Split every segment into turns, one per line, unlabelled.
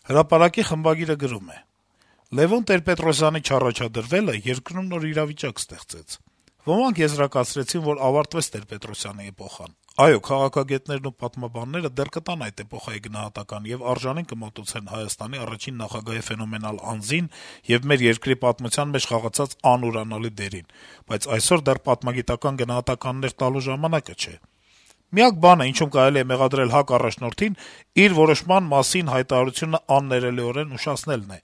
Հրապարակի խմբագիրը գրում է. - «Լեւոն Տեր-Պետրոսյանի չառաջադրվելը երկրում նոր իրավիճակ ստեղծեց: Ոմանք եզրակացրեցին, որ ավարտվեց Տեր-Պետրոսյանի էպոխան: Այո, քաղաքագետներն ու պատմաբանները դեռ կտան այդ էպոխայի գնահատական եւ արժանին կմատուցեն Հայաստանի առաջին նախագահի ֆենոմենալ անձին եւ մեր երկրի պատմության մեջ խաղացած անուրանալի դերին, բայց այսօր դեռ պատմագիտական գնահատականներ տալու ժամանակը չէ: Միակ բանը, ինչում կարելի է մեղադրել ՀԱԿ առաջնորդին, իր որոշման մասին հայտարարությունը աններելիորեն ուշացնելն է: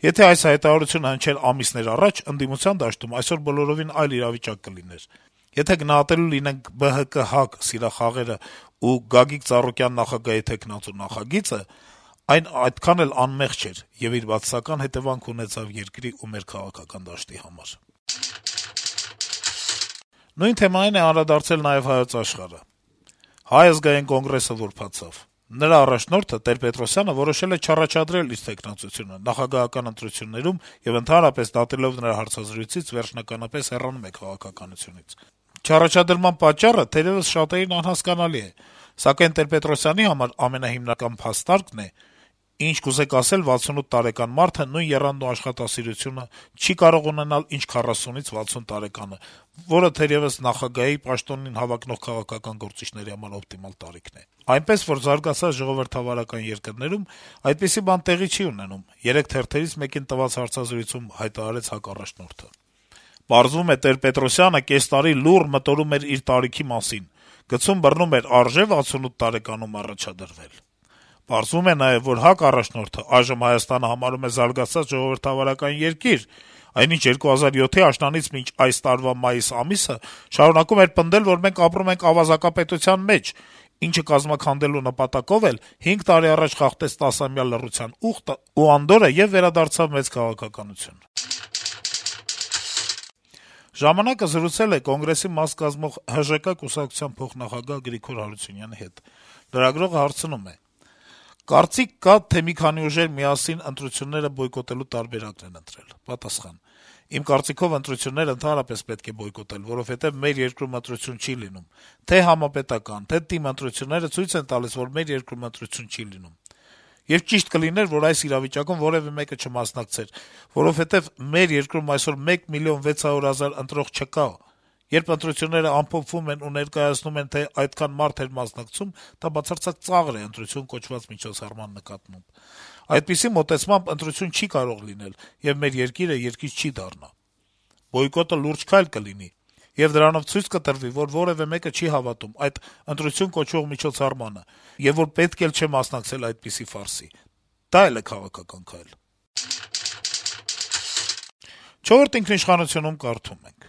Եթե այս հայտարարությունը հնչեր ամիսներ առաջ, ընդդիմության դաշտում այսօր բոլորովին այլ իրավիճակ կլիներ: Եթե գնահատելու լինենք ԲՀԿ-ՀԱԿ սիրախաղերը ու Գագիկ Ծառուկյան նախագահի թեկնածու նախագիծը, այն այդքան էլ անմեղ չէր եւ իր բացասական հետեւանք ունեցավ երկրի ու մեր քաղաքական դաշտի համար»: Նույն թեմային է անդրադարձել նաեւ «Հայոց Աշխարհ»-ը. - «Հայ ազգային կոնգրեսը որբացավ: Նրա առաջնորդը Տեր-Պետրոսյանը որոշել է չառաջադրել իր թեկնածությունը, նախագահական ընտրություններում եւ ընդհանրապես դատելով նրա հարցազրույցից վերջնականապես հեռանում է քաղաքականությունից: Չառաջադրման պատճառը թերեւս շատերին անհասկանալի է, սակայն Տեր-Պետրոսյանի համար ամենահիմնական փաստարկն է, ինչ կուզեք ասել 68 տարեկան մարդը նույն եռանդն ու աշխատասիրությունը չի կարող ունենալ, ինչ 40-ից 60 տարեկանը, որը թերեւս նախագահի պաշտոնին հավակնող քաղաքական գործիչների համար օպտիմալ տարիքն է: Այնպես որ զարգացած ժողովրդավարական երկրներում այդպիսի բան տեղի չի ունենում», - երեկ թերթերից մեկին տված հարցազրույցում հայտարարեց ՀԱԿ առաջնորդը: «Պարզվում է, Տեր-Պետրոսյանը կես տարի լուռ մտորում էր իր տարիքի մասին, գցում-բռնում էր՝ արժե՞ 68 տարեկանում առաջադրվել: Պարզվում է նաեւ, որ ՀԱԿ առաջնորդը այժմ Հայաստանը համարում է զարգացած ժողովրդավարական երկիր, այնինչ 2007-ի աշնանից մինչ այս տարվա մայիս ամիսը շարունակում էր պնդել, որ մենք ապրում ենք ավազակապետության մեջ, ինչը կազմաքանդելու նպատակով էլ 5 տարի առաջ խախտեց 10-ամյա լռության ուխտը ու անդորրը եւ վերադարձավ մեծ քաղաքականություն»: «Ժամանակ»-ը զրուցել է Կոնգրեսի մաս կազմող ՀԺԿ կուսակցության փոխնախագահ Գրիգոր Հարությունյանի հետ: Լրագրողը հարցնում է. - «Կարծիք կա, թե մի քանի ուժեր միասին ընտրությունները բոյկոտելու տարբերակն են ընտրել»: Պատասխան. - «Իմ կարծիքով ընտրությունները ընդհանրապես պետք է բոյկոտել, որովհետեւ մեր երկրում ընտրություն չի լինում: Թե' համապետական, թե' ՏԻՄ ընտրությունները ցույց են տալիս, որ մեր երկրում ընտրություն չի լինում: Եվ ճիշտ կլիներ, որ այս իրավիճակում որեւէ մեկը չմասնակցեր, որովհետեւ մեր երկրում այսօր 1 միլիոն 600 հազար ընտրող չկա: Երբ ընտրությունները ամփոփվում են ու ներկայացնում են, թե այդքան մարդ էր մասնակցում, դա բացարձակ ծաղր է ընտրություն կոչված միջոցառման նկատմամբ: Այդպիսի մոտեցմամբ ընտրություն չի կարող լինել, եւ մեր երկիրը երկիր չի դառնա: Բոյկոտը լուրջ քայլ կլինի, եւ դրանով ցույց կտրվի, որ որեւէ մեկը չի հավատում այդ ընտրություն կոչվող միջոցառմանը, եւ որ պետք էլ չէ մասնակցել այդպիսի ֆարսի: Դա էլ է քաղաքական քայլ»: «Չորրորդ ինքնիշխանություն»-ում կարդում ենք.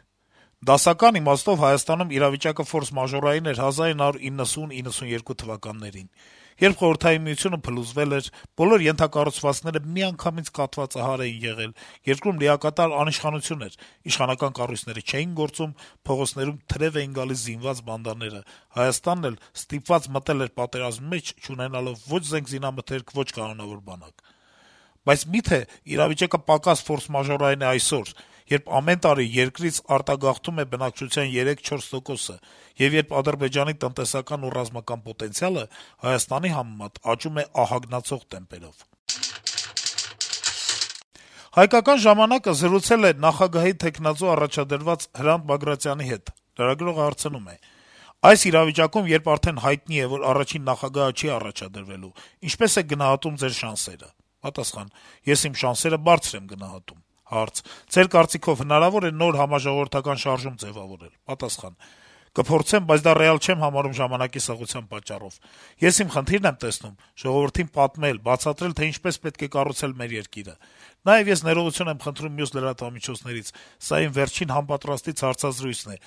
- «Դասական իմաստով Հայաստանում իրավիճակը ֆորս-մաժորային էր 1990-92 թվականներին, երբ Խորհրդային Միությունը փլուզվել էր, բոլոր ենթակառուցվածքները միանգամից կաթվածահար էին եղել, երկրում լիակատար անիշխանություն էր, իշխանական կառույցները չէին գործում, փողոցներում թրեւ էին գալիս զինված բանդաները, Հայաստանն էլ ստիպված մտել էր պատերազմի մեջ, չունենալով ո՛չ զենք-զինամթերք, ո՛չ կանոնավոր բանակ: Բայց մի՞թե իրավիճակը պակաս ֆորս-մաժորային է այսօր, երբ ամեն տարի երկրից արտագաղթում է բնակչության 3-4 տոկոսը, եւ երբ Ադրբեջանի տնտեսական ու ռազմական պոտենցիալը Հայաստանի համեմատ աճում է ահագնացող տեմպերով»: «Հայկական ժամանակ»-ը զրուցել է նախագահի թեկնածու առաջադրված Հրանտ Բագրատյանի հետ: Լրագրողը հարցնում է. - «Այս իրավիճակում, երբ արդեն հայտնի է, որ առաջին նախագահը չի առաջադրվելու, ինչպե՞ս եք գնահատում ձեր շանսերը»: Պատասխան. - «Ես իմ շանսերը բարձր եմ գնահատում»: Հարց. - «Ձեր կարծիքով հնարավո՞ր է նոր համաժողովրդական շարժում ձեւավորել»: Պատասխան. - «Կփորձեմ, բայց դա ռեալ չեմ համարում ժամանակի սղության պատճառով: Ես իմ խնդիրն եմ տեսնում ժողովրդին պատմել, բացատրել, թե ինչպես պետք է կառուցել մեր երկիրը: Նաեւ ես ներողություն եմ խնդրում մյուս լրատվամիջոցներից, սա իմ վերջին համապատրաստից հարցազրույցն է,